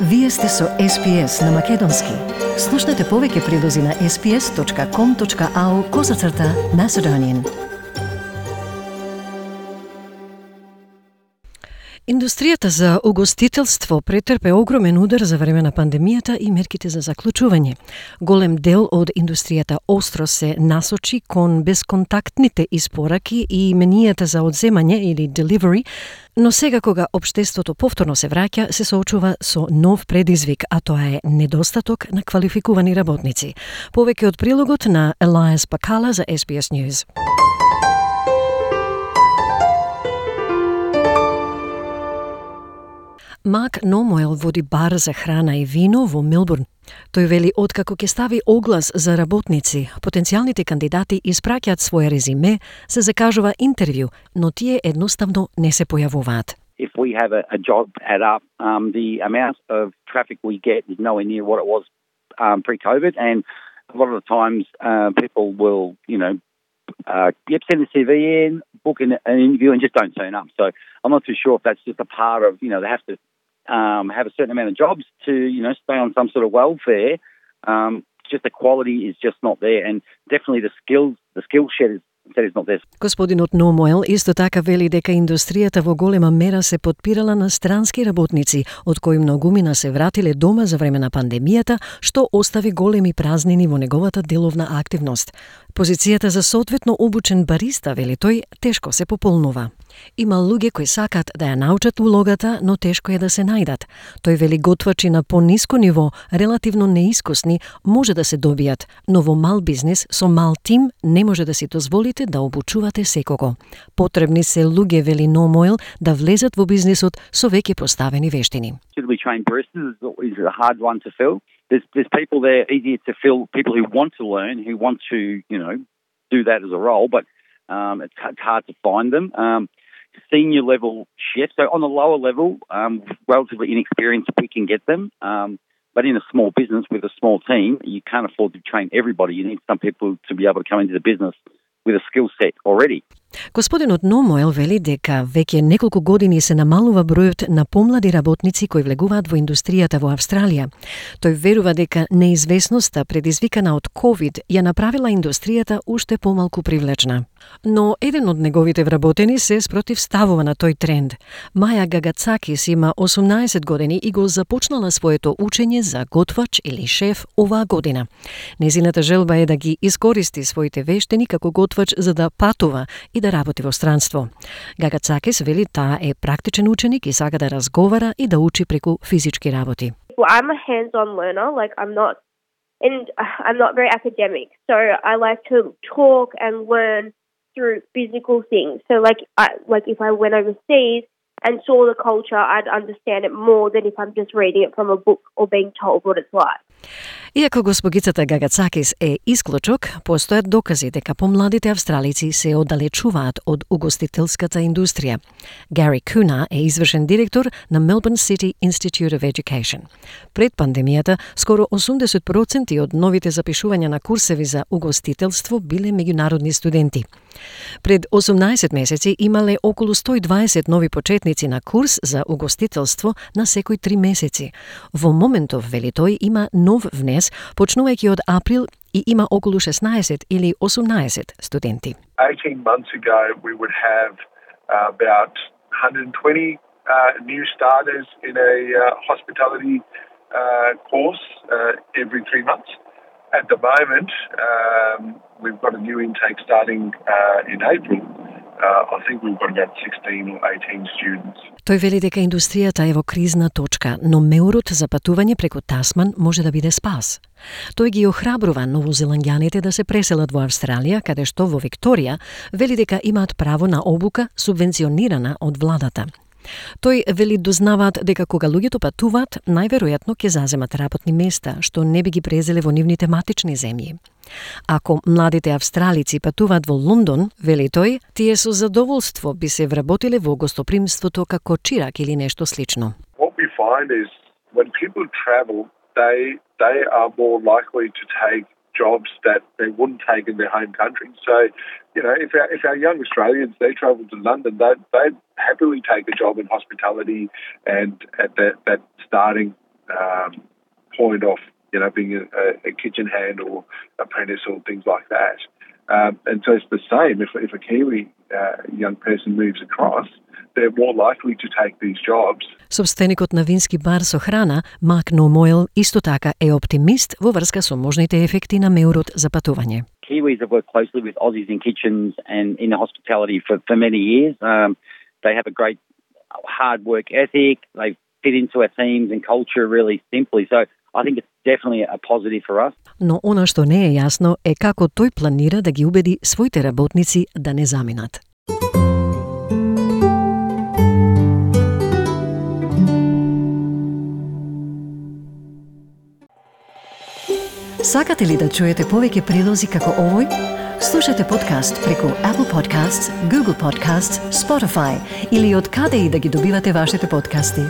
Вие сте со SPS на Македонски. Слушнете повеќе прилози на sps.com.au/Macedonian. Индустријата за угостителство претрпе огромен удар за време на пандемијата и мерките за заклучување. Голем дел од индустријата остро се насочи кон безконтактните испораки и менијата за одземање или delivery, но сега кога општеството повторно се враќа, се соочува со нов предизвик, а тоа е недостаток на квалификувани работници. Повеќе од прилогот на Elias Pakala за SBS News. Мак Номоел води бар за храна и вино во Мелбурн. Тој вели откако ќе стави оглас за работници, потенцијалните кандидати испраќаат своje резиме, се закажува интервју, но тие едноставно не се појавуваат. If we have a job ad up, the amount of traffic we get is nowhere near what it was pre-COVID, and a lot of the times people will, send a CV in, book an interview, and just don't turn up. So I'm not too sure if that's just a part of, they have to have a certain amount of jobs to, stay on some sort of welfare. Just the quality is just not there, and definitely the skill shed is not there. Господинот Номоел исто така вели дека индустријата во голема мера се подпирала на странски работници, од кои многумина се вратиле дома за време на пандемијата, што остави големи празнини во неговата деловна активност. Позицијата за соодветно обучен бариста, вели тој, тешко се пополнува. Има луѓе кои сакат да ја научат улогата, но тешко е да се најдат. Тој вели готвачи на пониско ниво, релативно неискусни, може да се добијат, но во мал бизнис со мал тим не може да си дозволите да обучувате секого. Потребни се луѓе, вели Номоел, да влезат во бизнисот со веќе поставени вештини. Suitably trained baristas is a hard one to fill. There's people there easier to fill, people who want to learn, who want to, do that as a role, but it's hard to find them. Senior level chefs, so on the lower level, relatively inexperienced, we can get them. But in a small business with a small team, you can't afford to train everybody. You need some people to be able to come into the business with a skill set already. Господинот Номоел вели дека веќе неколку години се намалува бројот на помлади работници кои влегуваат во индустријата во Австралија. Тој верува дека неизвестноста предизвикана од COVID ја направила индустријата уште помалку привлечна. Но еден од неговите вработени се спротивставува на тој тренд. Маја Гагацакис има 18 години и го започнала своето учење за готвач или шеф оваа година. Незината желба е да ги искористи своите вештини како готвач за да патува и да работи во странство. Гагацакис вели таа е практичен ученик и сака да разговара и да учи преку физички работи. Well, I'm a hands-on learner, I'm not very academic. So I like to talk and learn through physical things. So if I went overseas and saw the culture, I'd understand it more than if I'm just reading it from a book or being told what it's like. Иако госпогицата Гагацакис е исклучок, постојат докази дека помладите австралици се оддалечуваат од угостителската индустрија. Гари Куна е извршен директор на Melbourne City Institute of Education. Пред пандемијата, скоро 80% од новите запишувања на курсеви за угостителство биле меѓународни студенти. Пред 18 месеци имале околу 120 нови почетници на курс за угостителство на секој 3 месеци. Во моментов, вели тој, има нов внес, почнувајќи од април и има околу 16 или 18 студенти. 18 months ago, we would have about 120 new starters in a hospitality course every 3 months. At the moment, we've got a new intake starting in April. I think we've got about 16 or 18 students. Тој вели дека индустријата е во кризна точка, но меурот за патување преку Тасман може да биде спас. Тој ги охрабрува новозеландјаните да се преселат во Австралија, каде што во Викторија вели дека имаат право на обука субвенционирана од владата. Тој вели дознаваат дека кога луѓето патуваат, најверојатно ќе заземат работни места, што не би ги презеле во нивните матични земји. Ако младите австралици патуваат во Лондон, вели тој, тие со задоволство би се вработиле во гостопримството како чирак или нешто слично. What we find is when people travel, they are more likely to take jobs that they wouldn't take in their home country. So, if our young Australians, they travel to London, they'd happily take a job in hospitality and at that starting point of, being a kitchen hand or apprentice or things like that. And so it's the same. If a Kiwi young person moves across, they're more likely to take these jobs. Собственикот на вински бар со храна, Марк Номойл, исто така е оптимист во врска со можните ефекти на меурот за патување. Kiwis have worked closely with Aussies in kitchens and in hospitality for many years. They have a great hard work ethic. They fit into our teams and culture really simply. So I think it's definitely a positive for us. Но она што не е јасно е како тој планира да ги убеди своите работници да не заминат. Сакате ли да чуете повеќе прилози како овој? Слушате подкаст преку Apple Podcasts, Google Podcasts, Spotify или од каде и да ги добивате вашите подкасти.